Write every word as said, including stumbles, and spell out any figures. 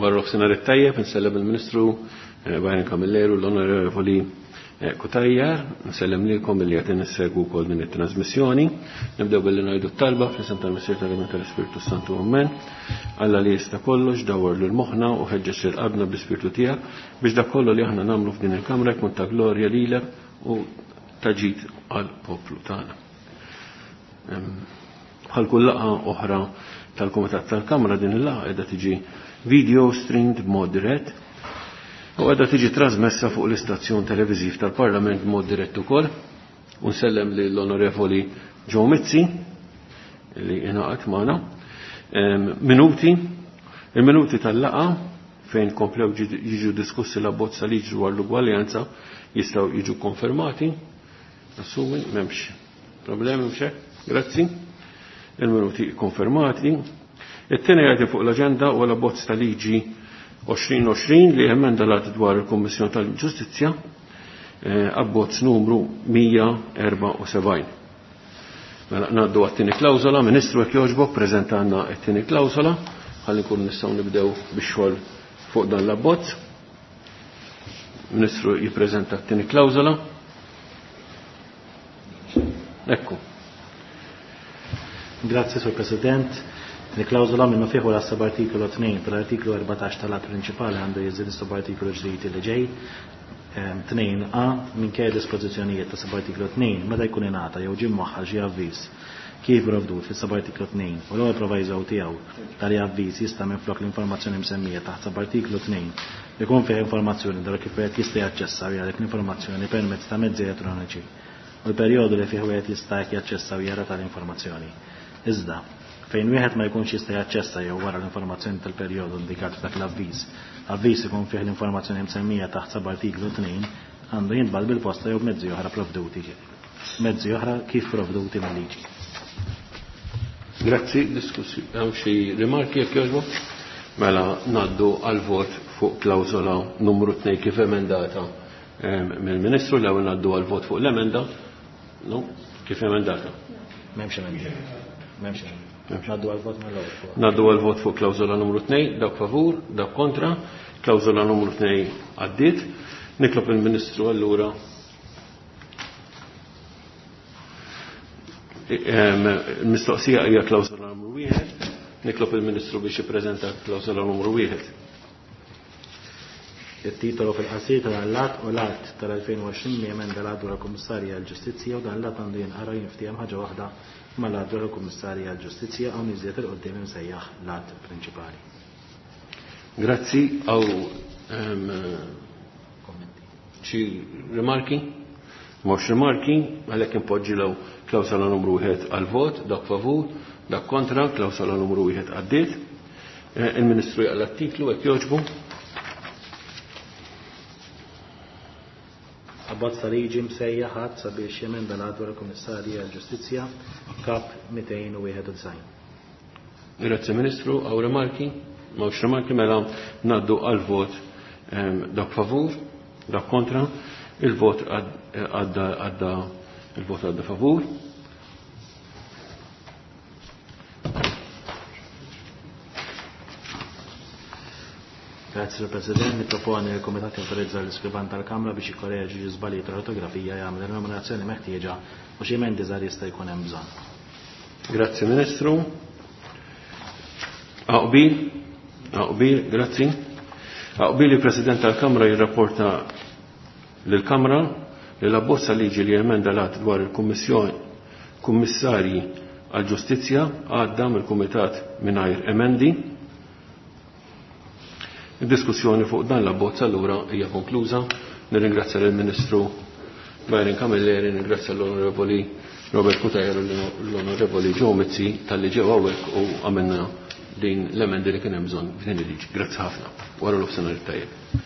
Wara nofsinhar it-tajjeb, insellem il-Ministru Byron Camilleri u l-Onorevoli Cutajar, nsellem lilkom billi qed nissegwu wkoll din it-trasmissjoni. Nibdew billi ngħidu t-talba fl-isem tal-Missier tal-Iben tal-Ispirtu Santu Amen. Alla li jista' kollox dawwar lil moħħna u ħeġġeġ lil qalbna bl-Ispirtu tiegħek biex dak kollu li aħna nagħmlu f'din il-kamra jkun ta' glorja lilek u ta' ġid għall-poplu tagħna. Bħal kull laqgħa oħra tal-Kumitat tal-Kamra din il-laqgħa qiegħda tiġi video streamed b'mod dirett u qiegħda tiġi trasmessa fuq l-istazzjon televiżiv tal-Parlament b'mod dirett ukoll. U nsellem lill-Onorevoli Joe Mizzi li ingħaqad magħna. Minuti, il-minuti tal-laqgħa fejn komplew jiġu diskussi l-abbozz ta' liġi dwar l-ugwaljanza jistgħu jiġu konfermati. Assumi m'hemmx problemi mhux hekk? Grazzi. Il-minuti konfermati. It-tieni għajti fuq l-aġenda huwa l-abbozz ta' liġi għoxrin għoxrin li emenda l-att dwar il-Kummissjoni tal-Ġustizzja, abbozz numru mija erbgħa u sebgħin. Mela ngħaddu għat-tieni klawżola. Ministru, jekk jogħġbok, preżentanna t-tieni klawżola ħalli nkunu nistgħu nibdew bix-xogħol fuq dan l-abbozz. Ministru jippreżenta t-tieni klawżola. Ekku. Grazzi, Sur President. Tieni klawżola minnu fih wara subartikolu tnejn tal-artiklu erbatax tal-att prinċipali għandu jiżdied subartikolu ġdid li ġej. Tnejn A minkejja dispożizzjonijiet ta' subartiklu tnejn meta jkun ingħata jew ġie mwaħħal xi avviż kif provdut fis-subartiklu tnejn u l-ewwel proviso tiegħu tali avviż jista' minflok l-informazzjoni msemmija taħt subartiklu tnejn ikun fih informazzjoni dwar kif wieħed jista' jaċċessa u jara dik l-informazzjoni permezz ta' mezzi elettroniċi u l-perjodu li fih wieħed jista' jaċċessa u jara tal-informazzjoni. Iżda, fejn wieħed ma jkunx jista' jaċċessa jew wara l-informazzjoni tal-perjodu indikat f'dak l-avviż, avviż ikun fih l-informazzjoni msemmija taħt subartiklu tnejn għandu jintbagħat bil-posta jew b'mezzi oħra provduti, mezzi oħra kif provduti mill-liġi. Grazzi, diskussi. Hawn xi rimarki jekk jogħġbok? Mela ngħaddu għal vot fuq klawżola numru tnejn kif emendata mill-Ministru. L-ewwel ngħaddu għal vot fuq l-emenda. No, kif emendata? M'hemmx emenda. M'hemmx emenda. Ngħaddu għal vot mill-ewwel. Ngħaddu għal vot fuq klawżola numru tnejn, dak favur, dak kontra. Klawżola numru tnejn għaddiet. Nitlob il-Ministru allura il-mistoqsija hija klawżola numru wieħed. Nitlob il-Ministru biex jippreżenta klawżola numru wieħed. Il-titolu fil-qasir tal-att u l-att tal-elfejn u għoxrin li emenda l-att dwar il-Kummissarji għall-Ġustizzja u dan l-att għandu jinqara jinftiehem ħaġa waħda mal-att dwar il-Kummissarji għall-Ġustizzja hawn iżjed il-qudiem imsejjaħ l-att prinċipali. Grazzi. Għaw xi rimarki? Mhux rimarki, għalhekk impoġġi law klawsola numru wieħed għal-vot, dak favur, dak kontra, klawsola numru wieħed għaddiet. Il-Ministru jaqla t-titlu hekk jogħġbu. Abbozz ta' liġi msejjaħ ħadd sabiex jemenda l-att dwar il-Kummissarji għall-Ġustizzja Kap mitejn u wieħed u disgħin. Grazzi Ministru, għaw rimarki? M'hawnx rimarki, mela ngħaddu għal-vot dak favur, dak kontra, il-vot għadda għadda il-vot għadda favur. Grazie, Sur President. Niproponi li l-Kumitat jawtorizza l-iskrivan tal-Kamra biex jikkoreġi xi żbalji tal-ortografija jagħmel il-nominazzjoni meħtieġa u xi emendi żgħar jista' jkun hemm bżonn. Grazzi Ministru. Aqbil, aqbil, grazzi. Aqbil il-President tal-Kamra jirrapporta lill-Kamra li l-abbozza liġi li emenda l-att dwar il-Kummissjoni Kummissarji għall-Ġustizzja għadda mill-Kumitat mingħajr emendi. Id-diskussjoni fuq dan l-abbozz allura hija konkluża. Nirringrazzja lill-Ministru Byron Camilleri, nirringrazzja l-Onorevoli Robert Cutajar u l-Onorevoli Joe Mizzi talli ġew hawnhekk u għamilna din l-emendi li kien hemm bżonn f'din il-liġi. Grazzi ħafna. Wara l-ofsinhar it-tajjeb.